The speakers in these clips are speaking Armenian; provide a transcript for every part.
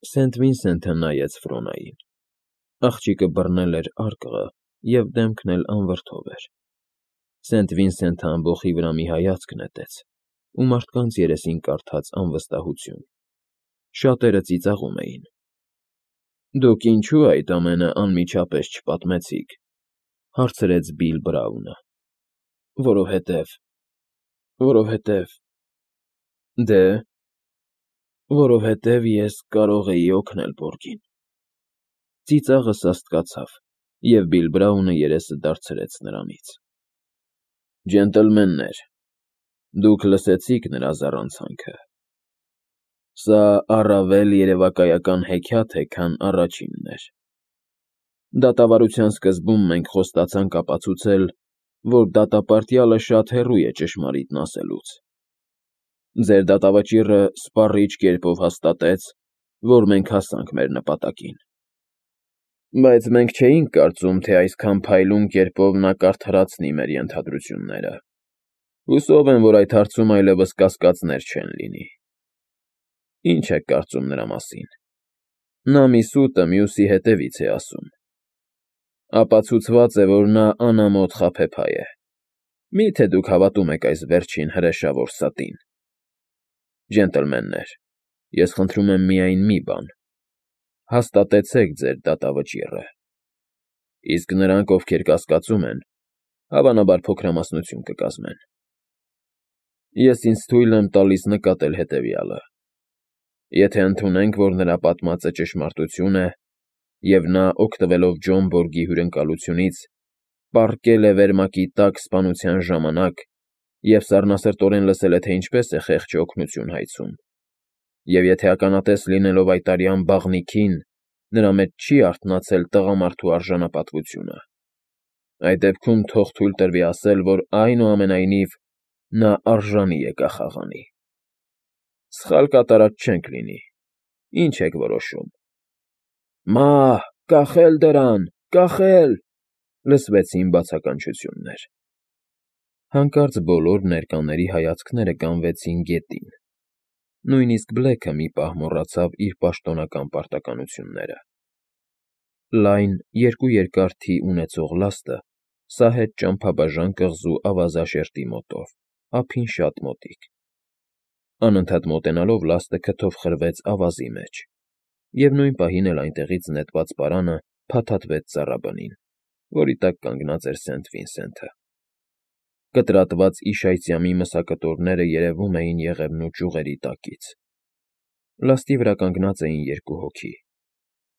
Սենթ Վինսենթը նայեց Ֆրոնային։ Աղջիկը բռնել էր արկղը և դեմքն էլ անվրդով էր։ Սենթ Վինսենթը ամբոխի վրա մի հայացք նետեց ու մարդկանց երեսին կարդաց անվստահություն։ Շատերը ծիծաղում էին։ «Դուք ինչո՞ւ այդ ամենը անմիջապես չպատմեցիք,֊ հարցրեց Բիլ Բրաունը։ Որովհետև… Դե՞… Որովհետև ես կարող էի օգնել Բորգին»։ Ծիծաղը սաստկացավ, և Բիլ Բրաունը երեսը դարձրեց նրանից։ «Ջենտլմեններ, դուք լսեցիք նրա զառանցանքը։ Սա առավել երևակայական հեքիաթ է, քան առաջինն էր։ Դատավարության սկզբում մենք խոստացանք ապացուցել, որ դատապարտյալը շատ հեռու է ճշմարիտն ասելուց։ Ձեր դատավճիռը սպառիչ կերպով հաստատեց, որ մենք հասանք մեր նպատակին։ Բայց մենք չէինք կարծում, թե այսքան փայլուն կերպով նա կարդարացնի մեր ենթադրությունները։ Հուսով եմ, որ այդ հարցում այլևս կասկածներ չեն լինի։ Ինչ եք կարծում նրա մասին։ Նա մի սուտը մյուսի հետևից է ասում։ Ապացուցված է, որ նա անամոթ խաբեբայ է։ Մի՞թե դուք հավատում եք այս վերջին հրեշավոր ստին։ Ջենտլմեններ, ես խնդրում եմ միայն մի բան. հաստատեցեք ձեր դատավճիռը։ Իսկ նրանք, ովքեր կասկածում են, հավանաբար փոքրամասնություն կկազմեն։ Ես ինձ թույլ եմ տալիս նկատել հետևյալը. եթե ընդունենք, որ նրա պատմածը ճշմարտություն է, և նա, օգտվելով Ջոն Բորգի հյուրընկալությունից, պառկել է վերմակի տակ սպանության ժամանակ և սառնասրտորեն լսել է, թե ինչպես է խեղճը օգնություն հայցում, և եթե ականատես լինելով այդ արյան բաղնիքին, նրա մեջ չի արթնացել տղամարդու արժանապատվությունը, այդ դեպքում թող թույլ տրվի ասել, որ այնուամենայնիվ նա արժանի է կախաղանի։ Սխալ կատարած չենք լինի։ Ի՞նչ եք որոշում։ Մահ, կախել դրան, կախել…֊ լսվեցին բացականչություններ։ Հանկարծ բոլոր ներկաների հայացքները կանգնեցին գետին։ Նույնիսկ Բլեքը մի պահ մոռացավ իր պաշտոնական պարտականությունները։ Լայն, երկու երկար թի ունեցող լաստը սահեց ճամփաբաժան կղզու ավազաշերտի մոտով, ափին շատ մոտիկ։ Անընդհատ մոտենալով լաստը քթով խրվեց ավազի մեջ, և նույն պահին էլ այնտեղից նետված պարանը փաթաթվեց ծառաբնին, որի տակ կանգնած էր Սենթ Վինսենթը։ Կտրատված իշայծյամի մսակտորները երևում էին եղևնու ճյուղերի տակից։ Լաստի վրա կանգնած էին երկու հոգի։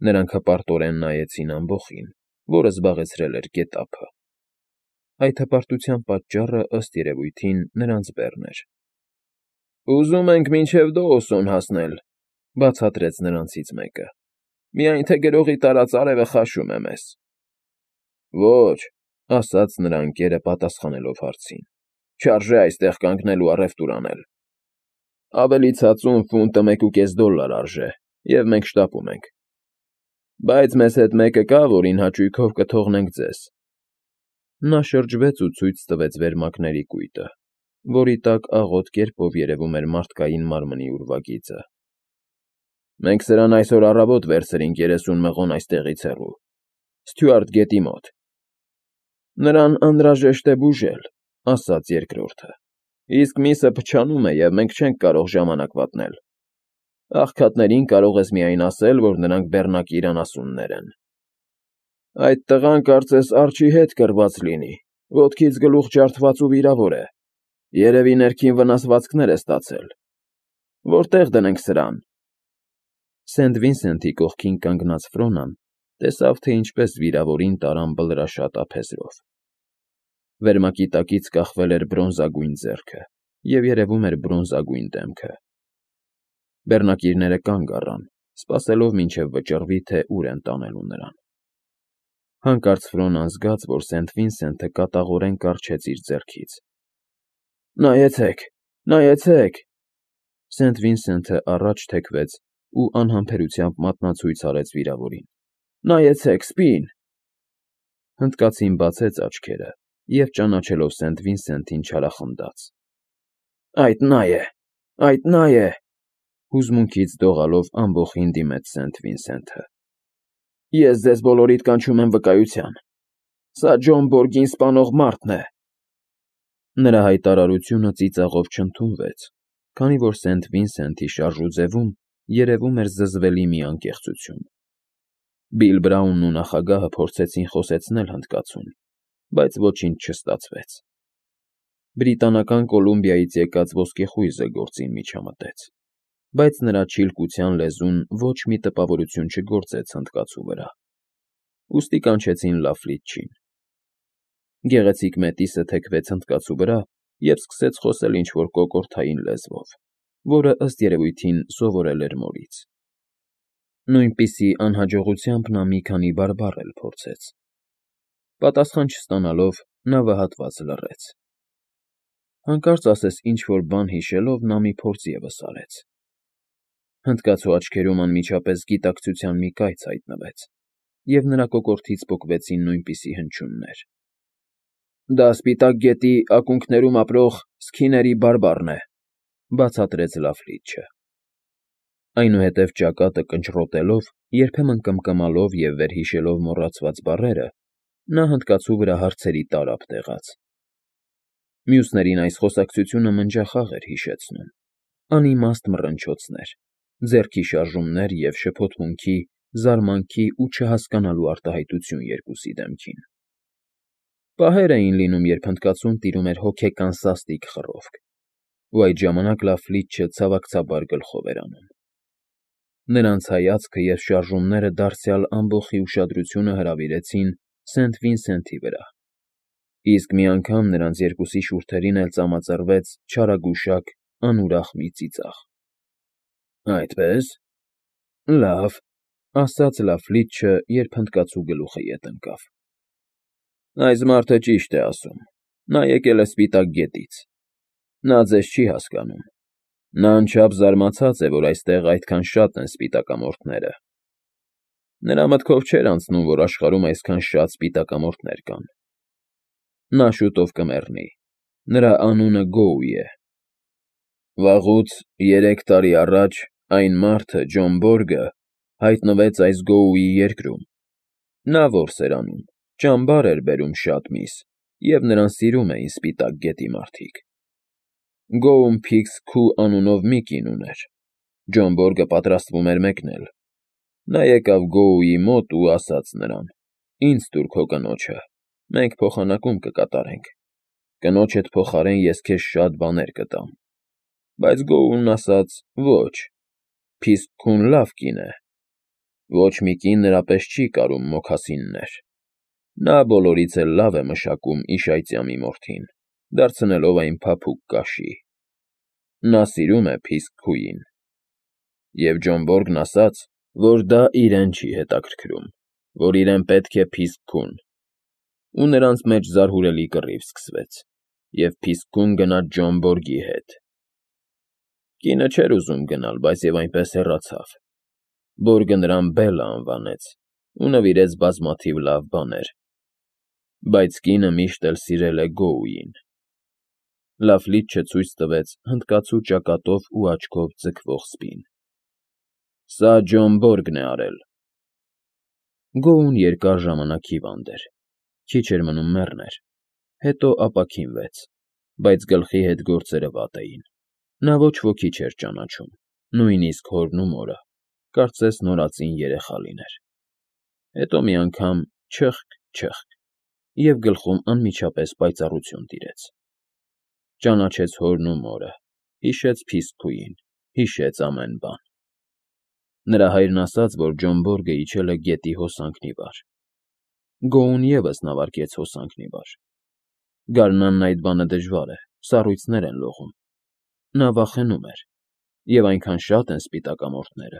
Նրանք հպարտորեն նայեցին ամբոխին, որը զբաղեցրել էր գետափը։ Այդ հպարտության պատճառը, ըստ երևույթին, նրանց բեռն էր։ «Ուզում ենք մինչև Դոուսոն հասնել,֊ բացատրեց նրանցից մեկը,֊ միայն թե գրողի տարած արևը խաշում է մեզ»։ Ոչ,֊ ասաց նրա ընկերը պատասխանելով հարցին,֊ չարժե այստեղ կանգնել ու առևտուր անել։ Ավելի ցածուն ֆունտը $1.5 արժե, և մենք շտապում ենք։ Բայց մեզ հետ մեկը կա, որին հաճույքով կթողնենք ձեզ։ Նա շրջվեց ու ցույց տվեց վերմակների կույտը, որի տակ աղոտ կերպով երևում էր մարդկային մարմնի ուրվագիծը։ Մենք սրան այսօր առավոտ վերցրինք 30 մղոն այստեղից հեռու, Ստյուարտ գետի մոտ։ Նրան անհրաժեշտ է բուժել,֊ ասաց երկրորդը, իսկ միսը փչանում է, և մենք չենք կարող ժամանակ վատնել։ Աղքատներին կարող ես միայն ասել, որ նրանք բեռնակի իրանասուններ են։ Այդ տղան կարծես արջի հետ կռված լինի, ոտքից գլուխ ջարդված ու վիրավոր է, երևի ներքին վնասվածքներ է ստացել։ Որտե՞ղ դնենք սրան։ Սենթ Վինսենթի կողքին կանգնած Ֆրոնան տեսավ, թե ինչպես վիրավորին տարան բլրաշատ ափեզրով։ Վերմակի տակից կախվել էր բրոնզագույն ձեռքը և երևում էր բրոնզագույն դեմքը։ Բեռնակիրները կանգ առան, սպասելով, մինչև վճռվի, թե ուր են տանելու նրան։ Հանկարծ Ֆրոնան զգաց, որ Սենթ Վինսենթը կատաղորեն կառչեց իր ձեռքից։ Նայեցեք, նայեցեք… Սենթ Վինսենթը առաջ թեքվեց ու անհամբերությամբ մատնացույց արեց վիրավորին։ Նայեցեք, սպին… Հնդկացին բացեց աչքերը և, ճանաչելով Սենթ Վինսենթին, չարախնդաց. Այդ նա է, այդ նա է… Հուզմունքից դողալով ամբոխին դիմեց Սենթ Վինսենթը։ Ես ձեզ բոլորիդ կանչում եմ վկայության։ Սա Ջոն Բորգին սպանող մարդն է։ Նրա հայտարարությունը ծիծաղով չընդունվեց, քանի որ Սենթ Վինսենթի շարժուձևում երևում էր զզվելի մի անկեղծություն։ Բիլ Բրաունն ու նախագահը փորձեցին խոսեցնել հնդկացուն, բայց ոչինչ չստացվեց։ Բրիտանական Կոլումբիայից եկած ոսկեխույզը գործին միջամտեց, բայց նրա չիլկության լեզուն ոչ մի տպավորություն չգործեց հնդկացու վրա։ Ուստի կանչեցին Լաֆլիչին։ Գեղեցիկ մետիսը թեքվեց հնդկացու վրա և սկսեց խոսել ինչ-որ կոկորդային լեզվով, որը ըստ երևույթին սովորել էր մորից։ Նույնպիսի անհաջողությամբ նա մի քանի բարբառ էլ փորձեց։ Պատասխան չստանալով նա վհատված լռեց։ Հանկարծ ասես ինչ-որ բան հիշելով նա մի փորձ ևս արեց։ Հնդկացու աչքերում անմիջապես գիտակցության մի կայծ հայտնվեց, և նրա կոկորդից պոկվեցին նույնպիսի հնչյուններ։ Դա Սպիտակ գետի ակունքներում ապրող սքիների բարբառն է, բացատրեց Լաֆլիչը։ Այնուհետև ճակատը կնճռոտելով, երբեմն կմկմալով և վերհիշելով մոռացված բառերը, նա հնդկացու վրա հարցերի տարափ տեղաց։ Մյուսներին այս խոսակցությունը մնջախաղ էր հիշեցնում, անիմաստ մռնչոցներ, ձեռքի շարժումներ և շփոթմունքի, զարմանքի ու չհասկանալու արտահայտություն երկուսի դեմքին։ Պահեր էին լինում, երբ հնդկացուն տիրում էր հոգեկան սաստիկ խռովք, ու այդ ժամանակ Լաֆլիչը ցավակցաբար գլխով էր անում։ Նրանց հայացքը և շարժումները դարձյալ ամբոխի ուշադրությունը հրավիրեցին Սենթ Վինսենթի վրա, իսկ մի անգամ նրանց երկուսի շուրթերին էլ ծամածրվեց չարագուշակ, անուրախ մի ծիծաղ։ Այդպե՞ս։ Լավ, ասաց Լաֆլիչը, երբ հնդկացու գլուխը ետ ընկավ։ Այս մարդը ճիշտ է ասում։ Նա եկել է Սպիտակ գետից։ Նա ձեզ չի հասկանում։ Նա անչափ զարմացած է, որ այստեղ այդքան շատ են սպիտակամորթները։ Նրա մտքով չէր անցնում, որ աշխարհում այսքան շատ սպիտակամորթներ կան։ Նա շուտով կմեռնի։ Նրա անունը Գոուի է։ Վաղուց 3 տարի առաջ այն մարդը, Ջոն Բորգը, հայտնվեց այս Գոուի երկրում։ Նա որս էր անում, ճամբար էր բերում շատ միս, և նրան սիրում էին Սպիտակ գետի մարդիկ։ Գոուն Փիքս Քու անունով մի կին ուներ։ Ջոն Բորգը պատրաստվում էր մեկնել։ Նա եկավ Գոուի մոտ ու ասաց նրան. «Ինձ տուր քո կնոջը, մենք փոխանակում կկատարենք։ Կնոջդ փոխարեն ես քեզ շատ բաներ կտամ»։ Բայց Գոուն ասաց. «Ոչ, Փիսք Քուն լավ կին է։ Ոչ մի կին նրա պես չի կարում մոքասիններ։ Նա բոլորից էլ լավ է մշակում իշայծյամի մորթին, դարձնելով այն փափուկ կաշի։ Նա սիրում է Փիսք Քուին»։ Եվ Ջոն Բորգն ասաց, որ դա իրեն չի հետաքրքրում, որ իրեն պետք է Փիսք Քուն։ Ու նրանց մեջ զարհուրելի կռիվ սկսվեց, և Փիսք Քուն գնաց Ջոն Բորգի հետ։ Կինը չէր ուզում գնալ, բայց և այնպես հեռացավ։ Բորգը նրան Բելլա անվանեց ու նվիրեց բազմաթիվ լավ բաներ։ Բայց կինը միշտ էլ սիրել է Գոուին։ Լաֆլիչը ցույց տվեց հնդկացու ճակատով ու աչքով ձգվող սպին։ Սա Ջոն Բորգն է արել։ Գոուն երկար ժամանակ հիվանդ էր, քիչ էր մնում մեռներ, հետո ապաքինվեց, բայց գլխի հետ գործերը վատ էին։ Նա ոչ ոքի չէր ճանաչում, նույնիսկ հորն ու մորը, կարծես նորածին երեխա լիներ։ Հետո մի անգամ չըխկ, և գլխում անմիջապես պայծառություն տիրեց։ Ճանաչեց հորն ու մորը, հիշեց Փիսք Քուին, հիշեց ամեն բան։ Նրա հայրն ասաց, որ Ջոն Բորգը իջել է գետի հոսանքն ի վար։ Գոուն ևս նավարկեց հոսանքն ի վար։ Գարնանն այդ բանը դժվար է, սառույցներ են լողում։ Նա վախենում էր, և այնքան շատ են սպիտակամորթները,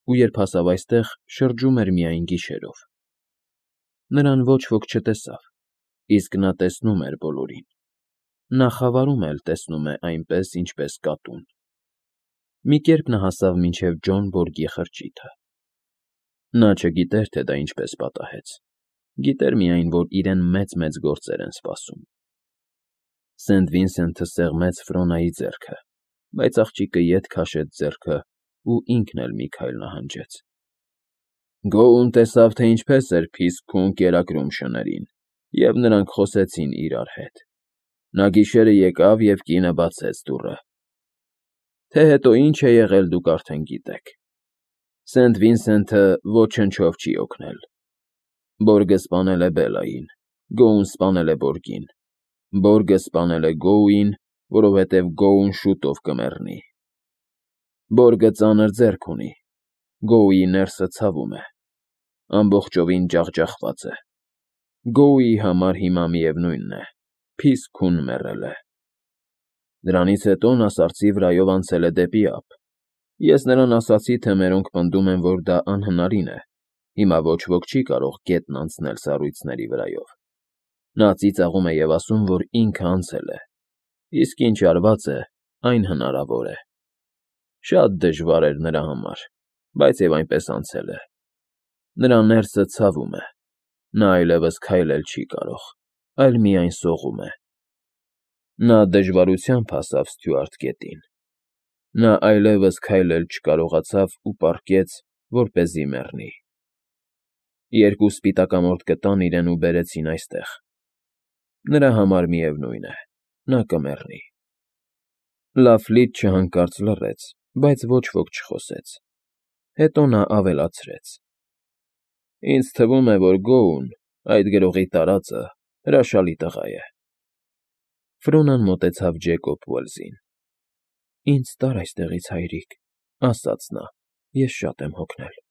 ու երբ հասավ այստեղ, շրջում էր միայն գիշերով։ Նրան ոչ ոք չտեսավ, իսկ նա տեսնում էր բոլորին։ Նա խավարում էլ տեսնում է այնպես, ինչպես կատուն։ Մի կերպ նա հասավ մինչև Ջոն Բորգի խրճիթը։ Նա չգիտեր, թե դա ինչպես պատահեց։ Գիտեր միայն, որ իրեն մեծ գործեր են սպասում։ Սենթ Վինսենթը սեղմեց Ֆրոնայի ձեռքը, բայց աղջիկը ետ քաշեց ձեռքը ու ինքն էլ մի քայլ նահանջեց։ Գոուն տեսավ, թե ինչպես էր Փիսքուն կերակրում շներին, և նրանք խոսեցին իրար հետ։ Նա գիշերը եկավ և կինը բացեց դուռը։ Թե հետո ինչ է եղել, դուք արդեն գիտեք։ Սենթ Վինսենթը ոչնչով չի օգնել։ Բորգը սպանել է Բելլային, Գոուն սպանել է Բորգին, Բորգը սպանել է Գոուին, որովհետև Գոուն շուտով կմեռնի։ Բորգը ծանր ձեռք ունի, Գոուի ներսը ցավում է, ամբողջովին ջախջախված է։ Գոուի համար հիմա միևնույնն է, Փիսքուն մեռել է։ Դրանից հետո նա սարսի վրայով անցել է դեպի ափ։ Ես նրան ասացի, թե մերոնք պնդում են, որ դա անհնարին է, հիմա ոչ ոք չի կարող գետն անցնել սառույցների վրայով։ Նա ծիծաղում է և ասում, որ ինքը անցել է, իսկ ինչ արված է, այն հնարավոր է։ Շատ դժվար էր նրա համար, բայց և այնպես անցել է։ Նրա ներսը ցավում է, նա այլևս քայլել չի կարող, այլ միայն սողում է։ Նա դժվարությամբ հասավ Ստյուարտ գետին։ Նա այլևս քայլել չկարողացավ ու պառկեց, որպեսզի մեռնի։ Երկու սպիտակամորթ կտան իրեն ու բերեցին այստեղ։ Նրա համար միևնույն է, նա կմեռնի։ Լաֆլիթչը հանկարծ լռեց, բայց ոչ ոք չխոսեց։ Հետո նա ավելացրեց. Ինձ թվում է, որ Գոուն, այդ գրողի տարածը, հրաշալի տղա է։ Ֆրոնան մոտեցավ Ջեյկոբ Ուելսին։ Ինձ տար այստեղից, հայրիկ, ասաց նա, ես շատ եմ հոգնել։